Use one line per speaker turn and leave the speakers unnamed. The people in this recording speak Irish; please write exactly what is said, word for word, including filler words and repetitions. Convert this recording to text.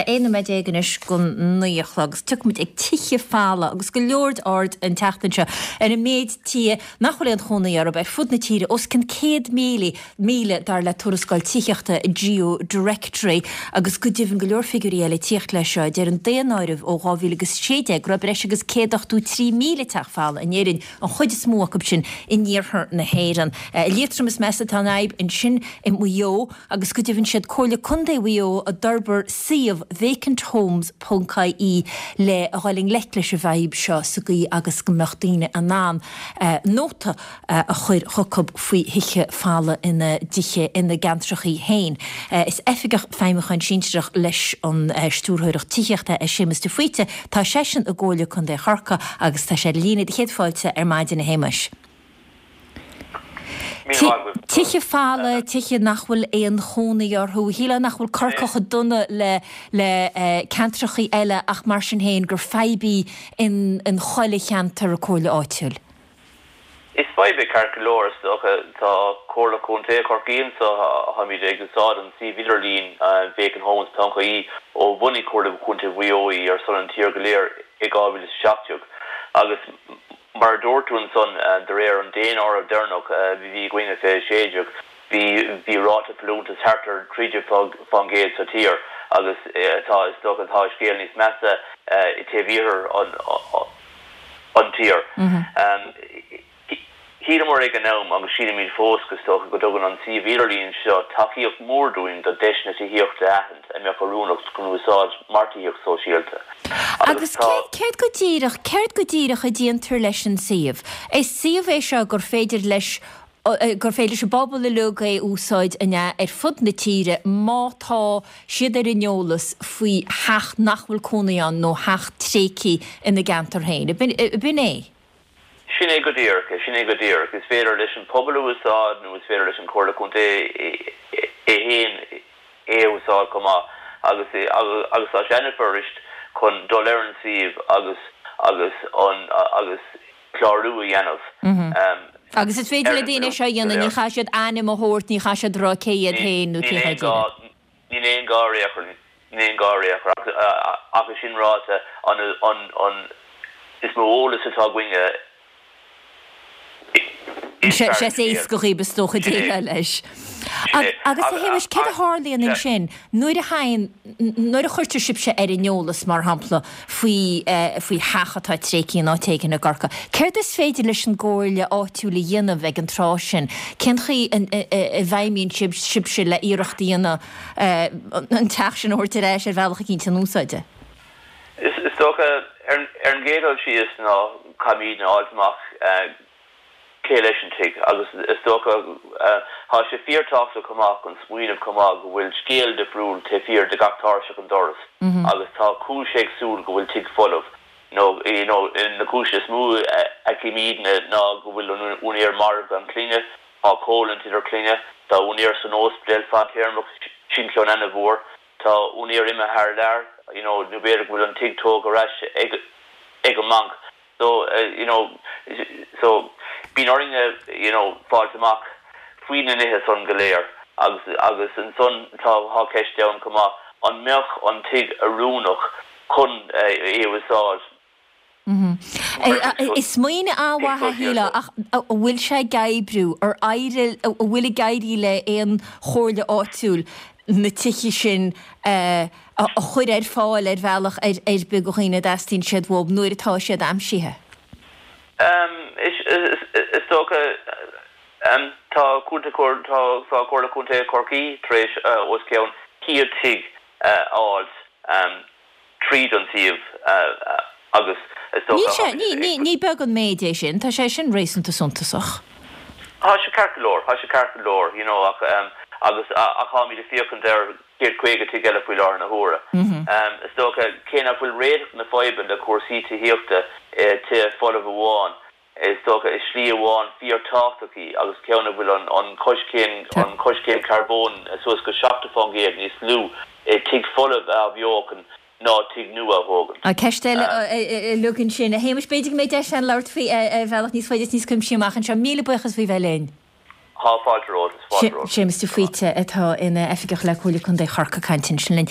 sé aon nóiméad déag anois go naoi a chlog agus tiocfaimid ag tithe folmha agus go leor aird an tseachtain seo ar an méid tithe nach bhfuil aon chónaí orthu ar fud na tíre os cionn céad míle míle dar le tuarascáil tithíochta Geo Directory agus go deimhin go leor figiúirí eile ag tíocht leis seo. Deir an daonáireamh ó dhá mhíle agus sé déag go raibh breis agus céad ochtó trí míle teach folamh in Éirinn, an chuid is mó acu sin in iarthar na hÉireann. I Liatroim is measa atá an fhadhb ansin i Maigh Eo agus go deimhin siad Comhairle Contae Mhaigh Eo a d'fhorbair suíomh vacant homes ponc ie le a dhul i ngleic leis an bhfadhb seo sa gcaoi agus go mbeadh daoine in ann nóta a chur chucu faoi thithe folamh ina dtithe ina gceantrachaí féin. Is Oifigeach Feidhmiúcháin Sinsearach leis an Stiúrthóireacht Tithíochta é Séamus de Faoite. Tá seisean i gComhairle Contae Chorcaí agus tá sé ar líne do Chéad Fáilte ar maidin a Shéamais. Tithe folamh, tithe nach bhfuil aon chónaí orthu. Shílfeá nach bhfuil Corcaigh chomh dona le le ceantrachaí eile ach mar sin féin gur fadhb í in in chuile cheantar comhairle áitiúil.
Is fadhb é ceart go leor, is dócha. Tá Comhairle Contae Chorcaí anseo, táimid ag úsáid an suíomh idirlín vacant homes ponc ie ó bhunaigh Comhairle Contae Mhaigh Eo í ar son an tír go léir i dhá mhíle is a seacht déag agus Mar a dúirt tú ansan, de réir an daonáirimh deireanach a bhí againn i fiche a sé déag, bhí bhí ráta folúntais thart ar trí déag fán gcéad sa tír agus tá, is dócha, tá scéal níos measa i taobh iarthar an an tír. Shíleamar ag an am, agus sílimid fós, is dócha, go dtugann an suíomh idirlín seo tacaíocht mhór dúinn do deiseanna tithíochta a aithint a mbeadh oiriúnach chun úsáid mar tithíocht sóisialta.
Agus
Agus tá.
céard go díreach, céard go díreach a déantar leis an suíomh? Is suíomh é seo gur féidir leis, gur féidir leis an bpobal uilig é a úsáid, an ea, ar fud na tíre má tá siad ar an eolas faoi theach nach bhfuil cónaí ann nó theach tréigthe ina gceantar féin. Ab in é?
Sin é go díreach é, sin é go díreach. Is féidir leis an pobal a úsáid nó is féidir leis an Chomhairle Contae é féin é a úsáid chomh maith agus agus tá sé an-fhuirist chun dul ar an suíomh agus agus an agus clárú a dhéanamh
Agus is féidir
ar
le
an
daoine seo a
bpolúntas go
dhéanamh, ní
léir.
chaithfidh siad ainm a thabhairt, ní chaithfidh siad rá cé hiad féin nó
Níl
cé
aon
hiad
gá
iad.
níl aon gá ar aon chor. Níl aon gá ar aon chor ach ach é sin ráite an an an is mó eolas atá againne is
Sé
fearr
sé
an
is
scéal.
éasca dhaoibh is dócha
Sin é.
déileáil leis.
Sin é.
Agus a
Agus
Shéamais, céard a tharlaíonn
sea.
ansin nuair a thagann, nuair a chuirtear sibhse ar an eolas, mar shampla, faoi faoi theach atá tréigthe in áit éigin i gCorcaigh, céard is féidir leis an gcomhairle áitiúil a dhéanamh ag an tráth sin? Cén chaoi a bhfeidhmíonn sibh sibhse le iarracht a dhéanamh an teach sin a thabhairt ar ais ar bhealach eicínt in úsáid?
Is dócha, ar an gcéad dul síos ná caithfimid a fháilt amach cé leis an tigh agus is dócha, tá sé fíorthábhachtach chomh maith chun smaoineamh chomh maith go bhfuil scéal difriúil taobh thiar de gach tairseach an doras agus tá cúis éagsúil go bhfuil tigh folamh nó you know na cúiseanna is mó a fheicimidne ná go bhfuil an úinéir marbh gan clainne, tá coimhlint idir clainne, tá úinéir san ospidéal fadtéarmach, sin ceann ana-mhór. Tá úinéir imithe thar lear, you know, nó b'fhéidir go bhfuil an tigh tógtha ar ais ag ag an mbanc. So, you know, so bíonn orainne, you know, fáilt amach faoi na nithe san go léir agus agus ansan tá tá ceist ann chomh maith, an mbeadh an tigh oiriúnach chun é a úsáid?
Is smaoineamh an-mhaith é, shílfeá, ach an bhfuil sé ag oibriú, ar éirigh, an bhfuil ag éirí le aon chomhairle áitiúil na tithe sin a chur ar fáil ar bhealach ar bith do dhaoine a dteastaíonn siad uathu nuair atá siad aimsithe?
Is dócha, tá tá Comhairle Contae Chorcaí tar éis os cionn céad tigh a fháilt. tríd an suíomh agus is
Níl
dócha
sé,
tháimid
ní,
ag.
ní, ní beag an méid é sin, tá sé sin réasúnta suntasach.
Tá sé ceart go leor, tá sé ceart go leor, you know ach agus ach táimid ag féachaint ar céad caoga tigh eile faoi láthair na huaire. Is dócha, cé nach bhfuil réiteach na faidhbe le cúrsaí tithíochta i tithe folamh amháin, Is dócha, is slí amháin fíorthábhachtach í agus ceann a bhfuil an coiscéim an coiscéim carbóin suas go seachtó fán gcéad níos lú i tigh folamh a athbheochan ná tigh nua a thógaint.
Ceist eile uilig ansin. A Shéamais, b'fhéidir go mbeidh deis againn labhairt faoi ar bhealach níos faide is níos cuimsí amach anseo. Míle buíochas faoi bheith linn.
Tá fáilte romhat, is fáilte romhat.
Séamus de Faoite atá ina oifigeach le Comhairle Contae Chorcaí ag caint ansin linn.